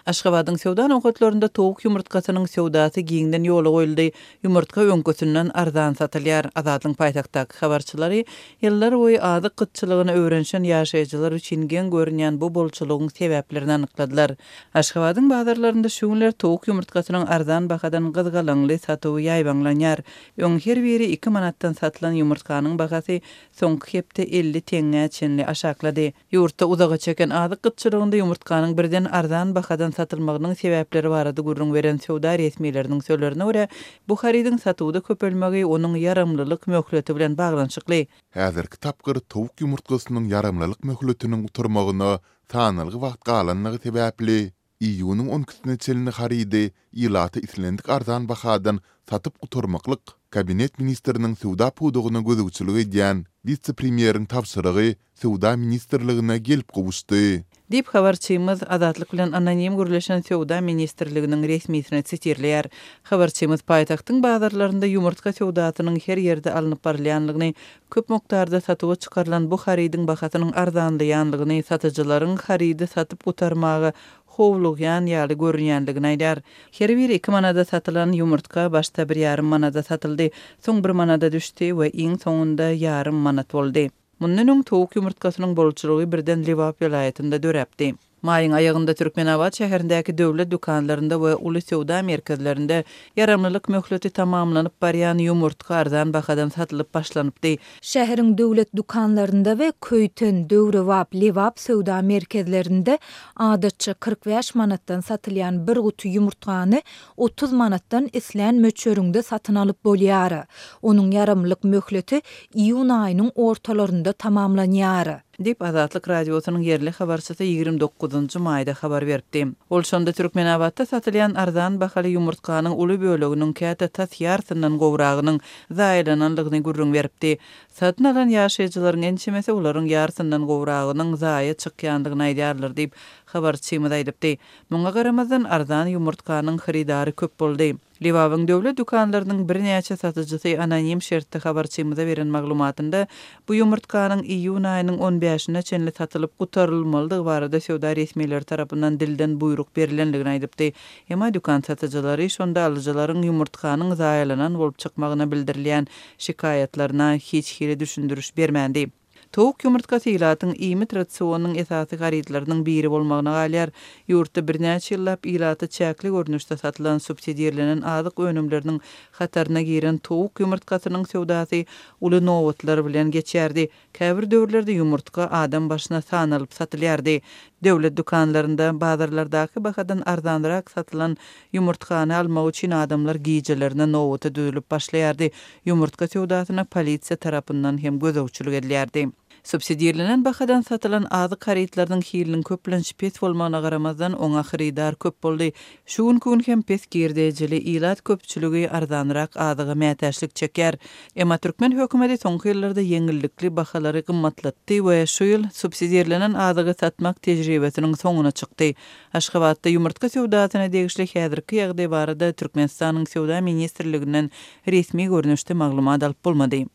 Aşgabadyň söwda nokatlarynda towuk ýumurtgasynyň söwdasy giňden ýola goýuldy. Ýumurtga öňküsinden arzan satylýar. Azatlygyň paýtagtdaky habarçylary ýyllar boýy azyk gytçylygyna öwrenişen ýaşaýjylar üçin geň görünýän bu bolçulygyň sebäplerini anykladylar. Aşgabadyň bazarlarynda şu günler towuk ýumurtgasynyň arzan bahadan gyzgalaňly satuwy ýaýbaňlanýar. Öň her biri iki manatdan satylan ýumurtganyň bahasy soňky hepde 50 teňňä çenli aşaklady. Ýurtda uzaga çeken azyk gytçylygynda ýumurtganyň birden arzan bahadan satylmagynyň sebäpleri barada gürrüň beren söwda resmileriniň sözlerine görä, bu harydyň satuwda köpelmegi onuň ýaramlylyk möhleti bilen baglanyşykly. Häzirki tapgyr towuk ýumurtgasynyň ýaramlylyk möhletiniň gutarmagyna sanalgy wagt galanlygy sebäpli, Iýunyň on ikisine çenli harydy ilata islendik arzan bahadan satyp gutarmaklyk Kabinet ministriniň söwda pudagyna gözegçilik edýän wise-premýeriň tabşyrygy Söwda ministrligine gelip gowuşdy. Diýip, habarçymyz Azatlyk bilen anonim gürleşen Söwda ministrliginiň resmisini sitirleýär. Habarçymyz paýtagtyň bazarlarynda ýumurtga söwdasynyň her ýerde alnyp barylýanlygyny, köp mukdarda satuwa çykarylan bu harydyň bahasynyň arzanlaýanlygyny, satyjylaryň harydy satyp gutarmaga howlugýan ýaly görünýänligini aýdýar. Her biri iki manada satylan ýumurtga başda bir ýarym manada satyldy, soň bir manada düşdi we iň soňunda ýarym manat boldy. Mundan öň towuk ýumurtgasynyň bolçulygy birden Lebap welaýatynda döräpdi. Maýyň aýagynda Türkmenabat şäherindäki döwlet dükanlarynda we uly söwda merkezlerinde ýaramlylyk möhleti tamamlanyp barýan ýumurtga arzan bahadan satylyp başlanypdy. Şäheriň döwlet dükanlarynda we Köýten, Döwrebap, Lebap söwda merkezlerinde adatça 45 manatdan satylýan bir guty ýumurtgany 30 manatdan islän möçberiňde satyn alyp bolýar. Onuň ýaramlylyk möhleti iýun aýynyň ortalarynda tamamlanýar. Diýip, Azatlyk Radiosynyň ýerli habarçysy 29 maýda habar beripdi. Ol şonda Türkmenabatda satylýan arzan bahaly ýumurtganyň uly böleginiň, käte tas ýarsyndan gowragynyň zaýalanandygyny gürrüň beripdi. Satyn alan ýaşaýjylaryň ençemesi olaryň ýarsyndan gowragynyň zaýa çykýandygyny aýdýarlar diýip, habarçymyz aýdypdy. Muňa garamazdan, arzan ýumurtganyň hyrydary köp boldy. Lebabyň döwlet dükanlarynyň birnäçe satyjysy anonim şertde habarçymyza beren maglumatynda, bu ýumurtganyň iýun aýynyň on bäşine çenli satylyp gutarylmalydygy barada söwda resmileri tarapyndan dilden buýruk berlendigini aýdypdy. Emma dükan satyjylary şonda alyjylaryň ýumurtganyň zaýalanan bolup çykmagyna bildirilýän şikaýatlaryna hiç hili düşündiriş bermändi. Towuk ýumurtgasy ilatyň iýmit rasionynyň esasy harytlarynyň biri bolmagyna galýar. Ýurtda birnäçe ýyllap ilata çäkli görnüşde satylan subsidirlenen azyk önümleriniň hataryna giren towuk ýumurtgasynyň söwdasy uly nobatlar bilen geçýärdi. Käbir döwürlerde ýumurtga adam başyna sanalyp satylýardy. Döwlet dükanlarynda bazarlardaky bahadan arzanrak satylan Ýumurtgany almak üçin adamlar gijelerine nobata düzülip başlaýardy. Ýumurtga söwdasyna polisiýa tarapyndan hem gözegçilik edilýärdi. Subsidirlenen bahadan satylan azyk harytlarynyň hiliniň köplenç pes bolmagyna garamazdan, oňa hyrydar köp boldy. Şu günki gün hem pes girdejili ilat köpçüligi arzanrak azyga mätäçlik çekýär. Emma türkmen hökümeti soňky ýyllarda ýeňillikli bahalary gymmatlatdy we şu ýyl subsidirlenen azygy satmak tejribesiniň soňuna çykdy. Aşgabatda ýumurtga söwdasyna degişli häzirki ýagdaý barada Türkmenistanyň Söwda ministrliginden resmi görnüşde maglumat alyp bolmady.